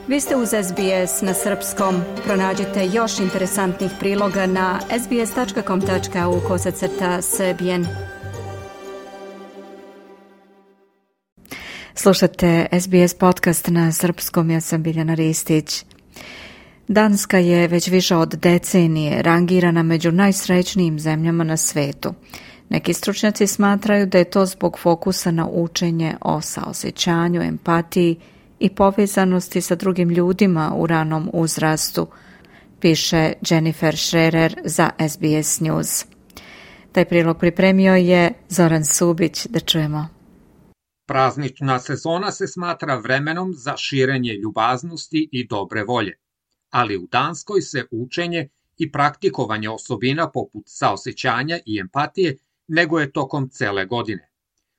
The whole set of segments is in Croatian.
Vi ste uz SBS na srpskom. Pronađite još interesantnih priloga na sbs.com.au/srbijen. Slušate SBS podcast na srpskom, ja sam Biljana Ristić. Danska je već više od decenije rangirana među najsrećnijim zemljama na svetu. Neki stručnjaci smatraju da je to zbog fokusa na učenje o saosjećanju, empatiji i povezanosti sa drugim ljudima u ranom uzrastu, piše Jennifer Scherer za SBS News. Taj prilog pripremio je Zoran Subić, da čujemo. Praznična sezona se smatra vremenom za širenje ljubaznosti i dobre volje, ali u Danskoj se učenje i praktikovanje osobina poput saosjećanja i empatije neguje tokom cele godine.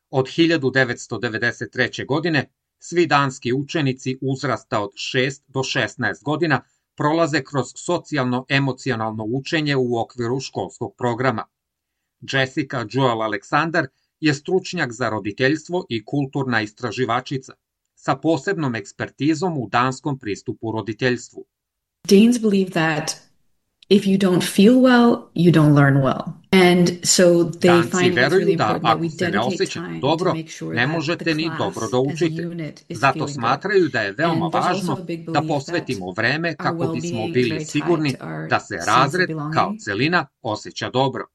Od 1993. godine svi danski učenici uzrasta od 6 do 16 godina prolaze kroz socijalno-emocionalno učenje u okviru školskog programa. Jessica Joel Alexander je stručnjak za roditeljstvo i kulturna istraživačica sa posebnom ekspertizom u danskom pristupu roditeljstvu. Danes believe that if you don't feel well, you don't learn well. And so they Danci find it's veruju really da important that we ako se ne dedicate osjećate time dobro, to make sure ne that možete the ni class dobro da as a učite. unit is Zato feeling smatraju da je good. veoma And there's also važno a big da belief posvetimo that vreme our kako bismo well-being is bili very sigurni tied to our da se sense of razred belonging. kao celina osjeća dobro.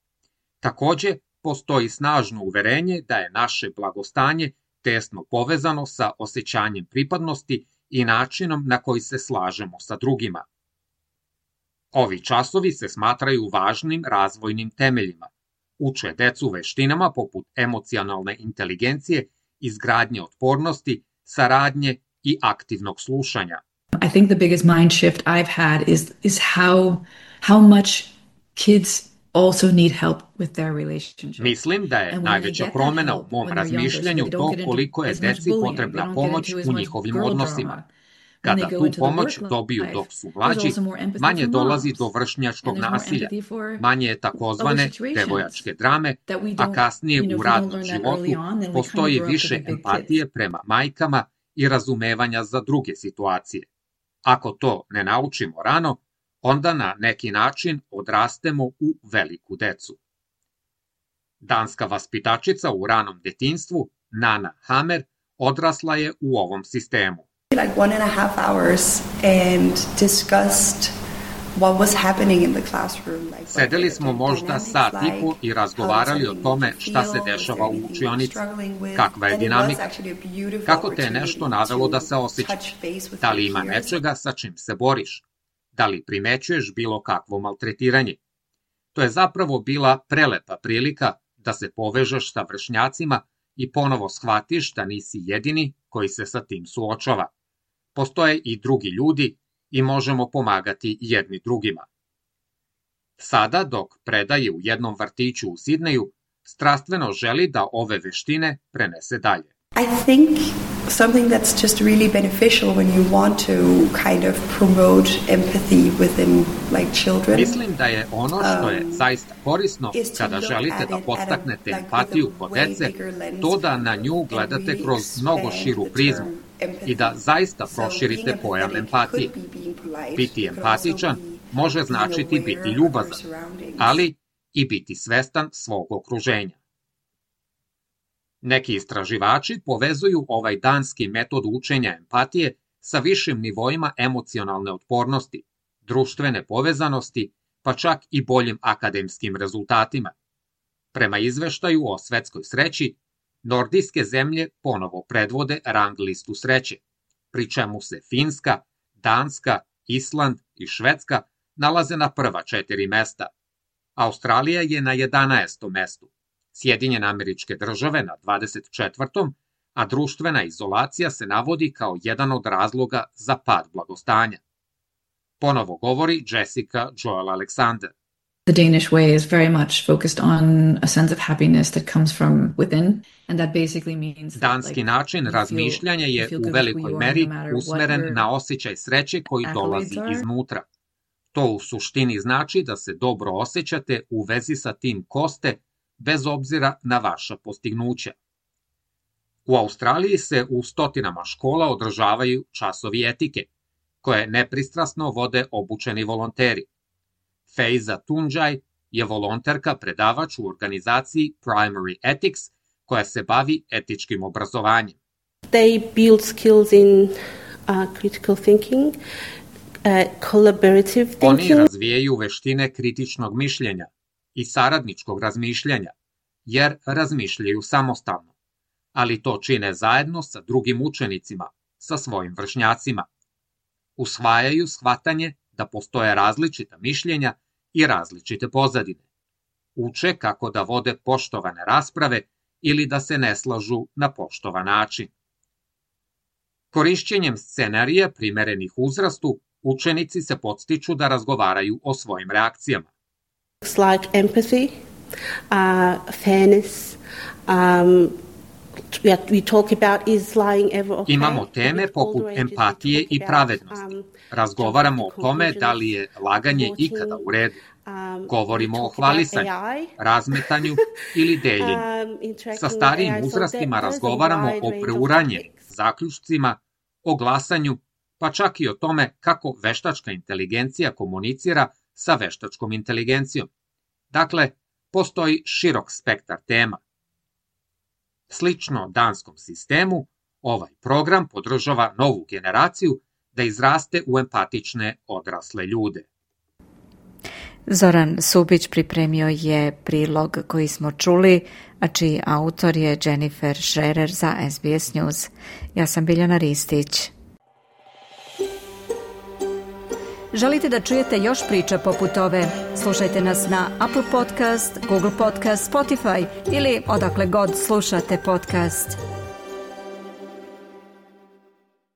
Takođe, postoji snažno uverenje da je naše blagostanje tesno povezano sa osjećanjem pripadnosti i načinom na koji se slažemo sa drugima. Ovi časovi se smatraju važnim razvojnim temeljima. Uče decu veštinama poput emocionalne inteligencije, izgradnje otpornosti, saradnje i aktivnog slušanja. I think the biggest mind shift I've had is how much kids also need help with their relationship. Mislim da je And when najveća they get that promena u help mom when they're younger, so razmišljanju they don't to get into koliko je as much deci bullying, they potrebna don't get pomoć into as u much njihovim girl odnosima. drama. When Kada they go tu into the pomoć work dobiju life, dok su there's mlađi, also more empathy manje for dolazi moms. do And vršnjačkog there's more nasilja, empathy for manje je takozvane other situations devojačke drame, that we a don't, kasnije you know, u if we don't radnom learn that životu early on, then we kind of postoji grow up to više be big empatije kids. prema majkama i razumevanja za druge situacije. Ako to ne naučimo rano, onda na neki način odrastemo u veliku decu. Danska vaspitačica u ranom detinjstvu, Nana Hammer, odrasla je u ovom sistemu. Like 1.5 hours and discussed what was happening in the classroom. Like Sedeli smo možda sat i po i razgovarali o tome šta se dešava u učionici, kakva je dinamika, kako te je nešto navelo da se osjećaš, da li ima nečega sa čim se boriš, da li primećuješ bilo kakvo maltretiranje. To je zapravo bila prelepa prilika da se povežeš sa vršnjacima i ponovo shvatiš da nisi jedini koji se sa tim suočava. Postoje i drugi ljudi i možemo pomagati jedni drugima. Sada, dok predaje u jednom vrtiću u Sidneju, strastveno želi da ove veštine prenese dalje. I think something that's just really beneficial when you want to kind of promote empathy within like children. Mislim da je ono što je zaista korisno kada želite da podstaknete empatiju kod dece, to da na nju gledate kroz mnogo širu prizmu i da zaista proširite pojam empatije. Biti empatičan može značiti biti ljubazan, ali i biti svestan svog okruženja. Neki istraživači povezuju ovaj danski metod učenja empatije sa višim nivoima emocionalne otpornosti, društvene povezanosti, pa čak i boljim akademskim rezultatima. Prema izveštaju o svetskoj sreći, nordijske zemlje ponovo predvode rang listu sreće, pri čemu se Finska, Danska, Island i Švedska nalaze na prva 4 mesta. Australija je na 11. mestu, Sjedinjene Američke Države na 24. a društvena izolacija se navodi kao jedan od razloga za pad blagostanja. Ponovo govori Jessica Joel Alexander. The Danish way is very much focused on a sense of happiness that comes from within, and that basically means that, Danski način razmišljanja je u velikoj meri usmeren na osjećaj sreće koji dolazi iznutra. To u suštini znači da se dobro osjećate u vezi sa tim ko ste, bez obzira na vaša postignuća. U Australiji se u stotinama škola održavaju časovi etike, koje nepristrasno vode obučeni volonteri. Faiza Tunjaj je volonterka predavač u organizaciji Primary Ethics, koja se bavi etičkim obrazovanjem. They build skills in critical thinking, collaborative thinking. Oni razvijaju veštine kritičnog mišljenja i saradničkog razmišljanja, jer razmišljaju samostalno, ali to čine zajedno sa drugim učenicima, sa svojim vršnjacima. Usvajaju shvatanje da postoje različita mišljenja i različite pozadine. Uče kako da vode poštovane rasprave ili da se ne slažu na poštovan način. Korišćenjem scenarija primerenih uzrastu, učenici se podstiču da razgovaraju o svojim reakcijama. Like empathy, fairness, we talk about is lying ever okay? Imamo teme poput empatije i pravednosti. Razgovaramo o tome da li je laganje ikada u redu. Govorimo o hvalisanju, razmetanju ili deljenju. Sa starijim uzrastima razgovaramo o preuranjenim zaključcima, o glasanju, pa čak i o tome kako veštačka inteligencija komunicira sa veštačkom inteligencijom. Dakle, postoji širok spektar tema. Slično danskom sistemu, ovaj program podržava novu generaciju da izraste u empatične odrasle ljude. Zoran Subić pripremio je prilog koji smo čuli, a čiji autor je Jennifer Scherer za SBS News. Ja sam Biljana Ristić. Želite da čujete još priča poput ove? Slušajte nas na Apple Podcast, Google Podcast, Spotify ili odakle god slušate podcast.